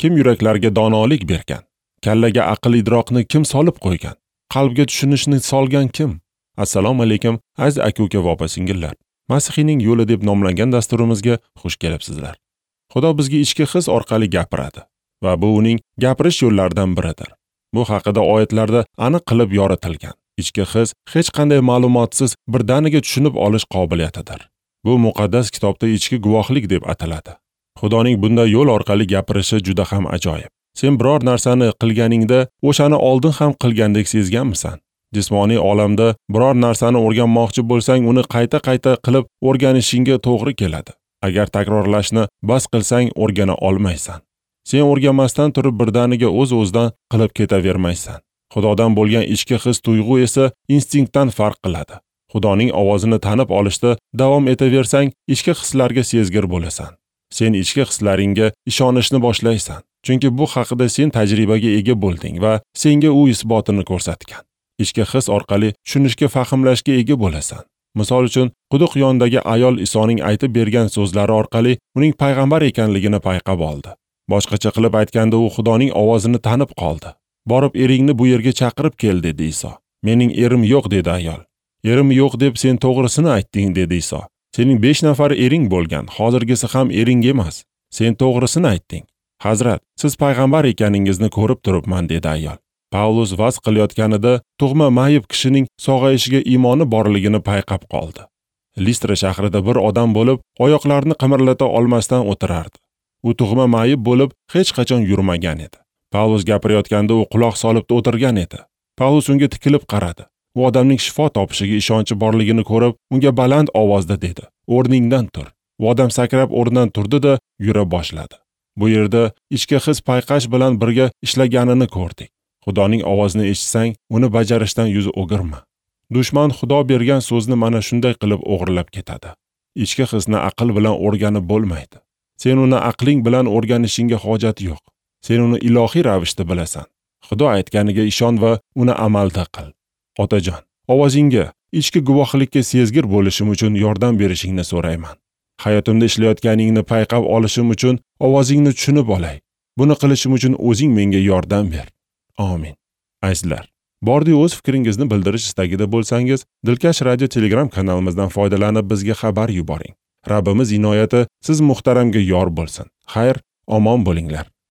Kim yuraklarga donolik bergan? Kallaga aql idroqni kim solib qo'ygan? Qalbga tushunishni solgan kim? Assalomu alaykum, aziz aka-uka va opa-singillar. Masihiyning yo'li deb nomlangan dasturimizga xush kelibsizlar. Xudo bizga ichki his orqali gapiradi va bu uning gapirish yo'llaridan biridir. Bu haqida oyatlarda aniq qilib yoritilgan. Ichki his hech qanday ma'lumotsiz birdaniga tushunib olish qobiliyatidir. Bu muqaddas kitobda ichki guvohlik deb ataladi. Xudoning bunday yo'l orqali gapirishi juda ham ajoyib. Sen biror narsani qilganingda o'shani oldin ham qilgandek sezganmisan? Jismoniy olamda biror narsani o'rganmoqchi bo'lsang, uni qayta-qayta qilib o'rganishingga to'g'ri keladi. Agar takrorlashni bas qilsang, o'rgana olmaysan. Sen o'rganmasdan turib birdaniga o'z-o'zidan qilib ketavermaysan. Xudodan bo'lgan ichki his tuyg'u esa instinktdan farq qiladi. Xudoning ovozini tanib olishda davom etaversang, ichki hislarga sezgir bo'lasan. Sen ichki hislaringga ishonishni boshlaysan. Chunki bu haqida sen tajribaga ega bo'lding va senga u isbotini ko'rsatgan. Ichki his orqali tushunishga, fahmlashga ega bo'lasan. Misol uchun, quduq yonidagi ayol Isoning aytib bergan so'zlari orqali uning payg'ambar ekanligini payqab oldi. Boshqacha qilib aytganda, u Xudoning ovozini tanib qoldi. Borib eringni bu yerga chaqirib kel, dedi Iso. Mening erim yo'q, dedi ayol. Erim yo'q deb sen to'g'risini aytding, dedi Iso. Sening 5 nafar ering bo'lgan, hozirgisi ham ering emas. Sen to'g'risini aytding. Hazrat, siz payg'ambar ekaningizni ko'rib turibman, dedi ayol. Pavlus vaz qilayotganida tug'ma mayib kishining sog'ayishiga iymoni borligini payqab qoldi. Listra shahrida bir odam bo'lib, oyoqlarini qimirlata olmasdan o'tirardi. U tug'ma mayib bo'lib, hech qachon yurmagan edi. Pavlus gapirayotganda u quloq solib o'tirgan edi. Pavlus unga tikilib qaradi. U odamning shifo topishiga ishonchi borligini ko'rib, unga baland ovozda dedi: "O'rningdan tur." U odam sakrab o'rnidan turdi-da, yura boshladi. Bu yerda ichki his payqash bilan birga ishlaganini ko'rdik. Xudoning ovozini eshitsang, uni bajarishdan yuz o'girma. Dushman Xudo bergan so'zni mana shunday qilib o'g'irlab ketadi. Ichki hisni aql bilan o'rganib bo'lmaydi. Sen uni aqling bilan o'rganishingga hojat yo'q. Sen uni ilohiy ravishda bilasan. Xudo aytganiga ishon va uni amalda qil. Otajon, ovozingga, ichki guvohlikka sezgir bo'lishim uchun yordam berishingni so'rayman. Hayotimda ishlayotganingni payqab olishim uchun ovozingni tushunib olay. Buni qilishim uchun o'zing menga yordam ber. Amin. Azizlar, bordi o'z fikringizni bildirish istagida bo'lsangiz, Dilkash radio Telegram kanalimizdan foydalanib bizga xabar yuboring. Rabbimiz inoyati siz muhtaramga yor bo'lsin. Xayr, omon bo'linglar.